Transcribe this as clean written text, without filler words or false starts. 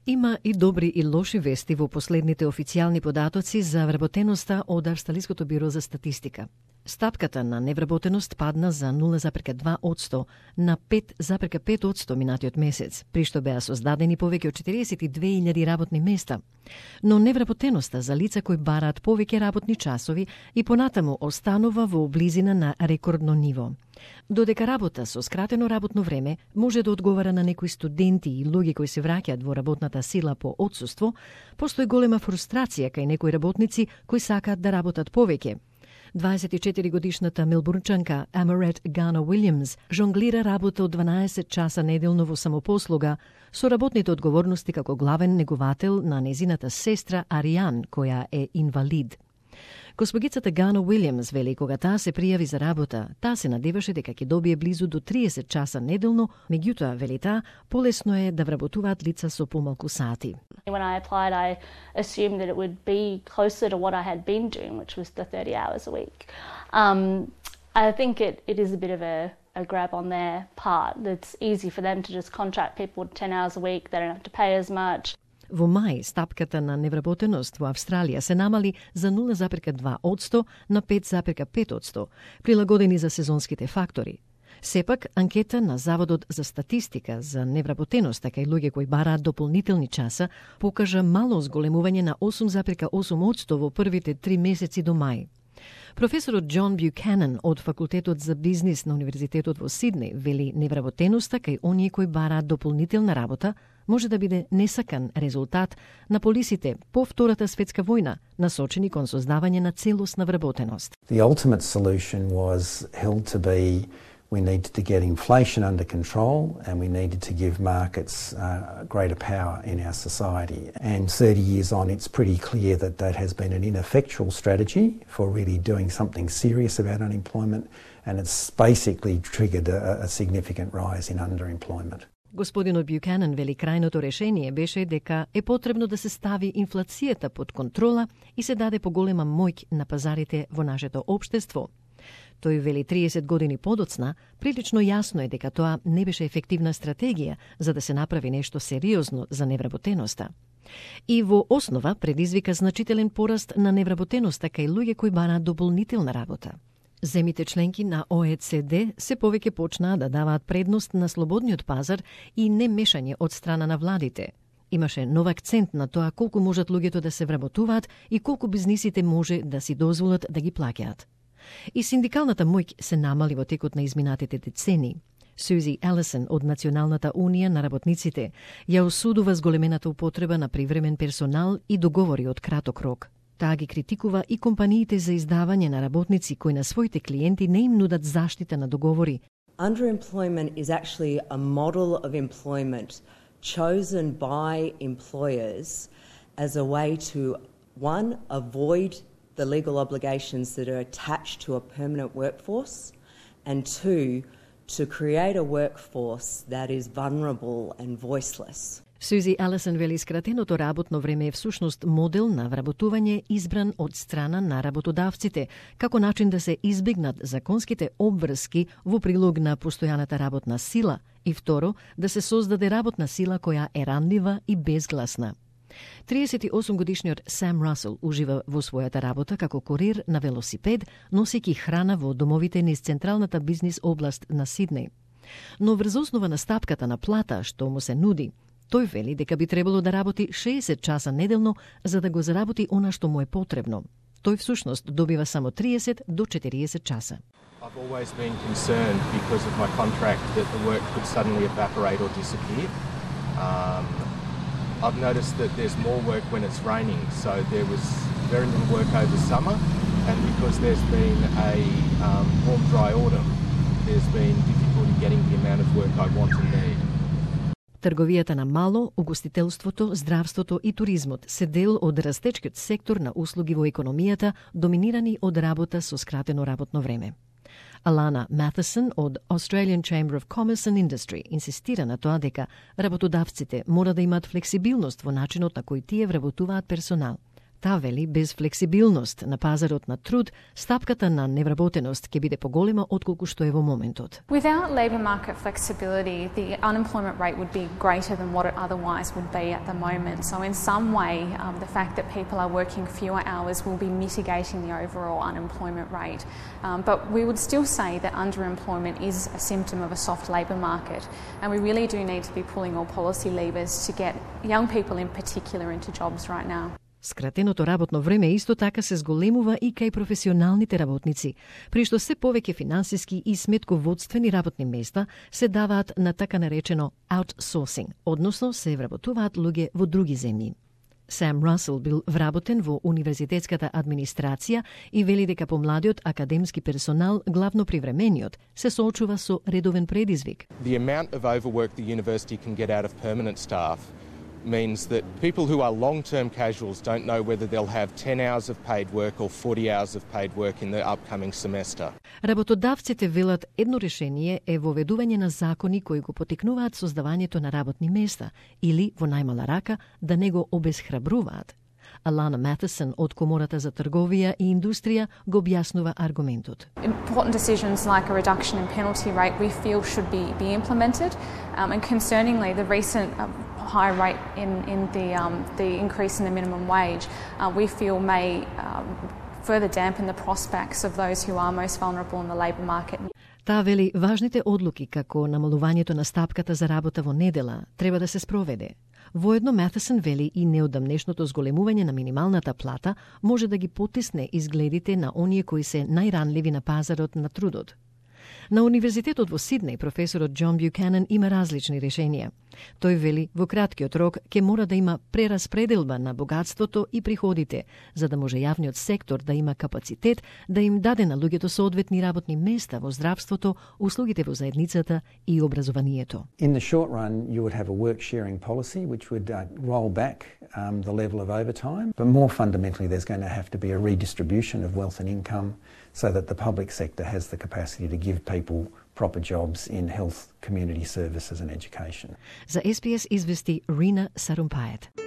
Има и добри и лоши вести во последните официјални податоци за вработеноста од Австралиското бюро за статистика. Стапката на невработеност падна за 0,2% на 5,5% минатиот месец, при што беа создадени повеќе од 42.000 работни места. Но невработеноста за лица кои бараат повеќе работни часови и понатаму останува во близина на рекордно ниво. Додека работа со скратено работно време може да одговара на некои студенти и луѓе кои се враќаат во работната сила по отсуство, постои голема фрустрација кај некои работници кои сакаат да работат повеќе. 24-годишната мелбурнчанка Амарет Гана Уилјамс жонглира работа од 12 часа неделно во самопослуга со работните одговорности како главен неговател на незината сестра Ариан, која е инвалид. Госпогицата Гана Уилјамс вели кога таа се пријави за работа, таа се надеваше дека ќе добие близу до 30 часа неделно, меѓутоа, вели таа, полесно е да вработуваат лица со помалку сати. When I applied, I assumed that it would be closer to what I had been doing, which was the 30 hours a week. I think it is a bit of a grab on their part. It's easy for them to just contract people 10 hours a week. They don't have to pay as much. Во мај, стапката на невработеност во Австралија се намали за 0,2% на 5,5%, прилагодени за сезонските фактори. Сепак, анкета на Заводот за статистика за невработеност кај луѓе кои бараат дополнителни часа покажа мало зголемување на 8,8% во првите 3 месеци до мај. Професорот Џон Бјуканен од Факултетот за бизнис на Универзитетот во Сиднеј вели невработеноста кај оние кои бараат дополнителна работа може да биде несакан резултат на полисите по Втората светска војна, насочени кон создавање на целосна вработеност. The ultimate solution was held to be we needed to get inflation under control and we needed to give markets greater power in our society. And 30 years on, it's pretty clear that that has been an ineffectual strategy for really doing something serious about unemployment, and it's basically triggered a significant rise in underemployment. Господинот Бјуканен вели крајното решение беше дека е потребно да се стави инфлацијата под контрола и се даде поголема моќ на пазарите во нашето општество. Тој вели 30 години подоцна, прилично јасно е дека тоа не беше ефективна стратегија за да се направи нешто сериозно за невработеноста. И во основа предизвика значителен пораст на невработеноста кај луѓе кои бараат дополнителна работа. Земите членки на ОЕЦД се повеќе почнаа да даваат предност на слободниот пазар и немешање од страна на владите. Имаше нов акцент на тоа колку можат луѓето да се вработуваат и колку бизнисите може да си дозволат да ги плаќаат. И синдикалната моќ се намали во текот на изминатите децени. Сузи Елисен од Националната унија на работниците ја осудува зголемената употреба на привремен персонал и договори од краток рок. Таа ги критикува и компаниите за издавање на работници кои на своите клиенти не им нудат заштита на договори. Underemployment is actually a model of employment chosen by employers as a way to, one, avoid the legal obligations that are attached to a permanent workforce, and two, to create a workforce that is vulnerable and voiceless. Сузи Елисен вели скратеното работно време е всушност модел на вработување избран од страна на работодавците, како начин да се избегнат законските обврски во прилог на постојаната работна сила и второ, да се создаде работна сила која е ранлива и безгласна. 38-годишниот Сам Расел ужива во својата работа како курир на велосипед, носејќи храна во домовите низ централната бизнис област на Сиднеј. Но врз основа на стапката на плата што му се нуди, тој вели дека би требало да работи 60 часа неделно за да го заработи она што му е потребно. Тој всушност добива само 30 до 40 часа. I've always been concerned because of my contract that the work could suddenly evaporate or disappear. I've noticed that there's more work when it's raining, so there was very little work over summer, and because there's been a warm, dry autumn, there's been difficulty getting the amount of work I want and need. Трговијата на мало, угостителството, здравството и туризмот се дел од растечкиот сектор на услуги во економијата, доминирани од работа со скратено работно време. Алана Маtheson од Australian Chamber of Commerce and Industry инсистира на тоа дека работодавците мора да имаат флексибилност во начинот на кој тие вработуваат персонал. Таа вели, без флексибилност на пазарот на труд, стапката на невработеност ќе биде поголема отколку што е во моментот. Without labour market flexibility, the unemployment rate would be greater than what it otherwise would be at the moment. So in some way, the fact that people are working fewer hours will be mitigating the overall unemployment rate. But we would still say that underemployment is a symptom of a soft labour market, and we really do need to be pulling all policy levers to get young people in particular into jobs right now. Скратеното работно време исто така се зголемува и кај професионалните работници, при што се повеќе финансиски и сметководствени работни места се даваат на така наречено outsourcing, односно се вработуваат луѓе во други земји. Сам Расел бил вработен во универзитетската администрација и вели дека помладиот академски персонал, главно привремениот, се соочува со редовен предизвик. The amount of overwork the university can get out of permanent staff means that people who are long-term casuals don't know whether they'll have 10 hours of paid work or 40 hours of paid work in the upcoming semester. Работодавците велат едно решение е воведување на закони кои го потикнуваат создавањето на работни места или, во најмала рака, да не го обесхрабруваат. Alana Matheson од Комората за трговија и индустрија го објаснува аргументот. Important decisions like a reduction in penalty rate we feel should be implemented, and concerningly the recent high rate in the increase in the minimum wage we feel may further dampen the prospects of those who are most vulnerable in the labour market. Таа вели важните одлуки како намалувањето на стапката за работа во недела треба да се спроведе. Воедно Маtheson вели и неодамнешното зголемување на минималната плата може да ги потисне изгледите на оние кои се најранливи на пазарот на трудот. На Универзитетот во Сиднеј професорот Џон Бјуканен има различни решенија. Тој вели во краткиот рок ќе мора да има прераспределба на богатството и приходите, за да може јавниот сектор да има капацитет да им даде на луѓето соодветни работни места во здравството, услугите во заедницата и образованието. In the short run, you would have a work sharing policy which would roll back the level of overtime, but more fundamentally there's going to have to be a redistribution of wealth and income so that the public sector has the capacity to give people proper jobs in health, community services and education. За SBS извести Рина Сарумпајет.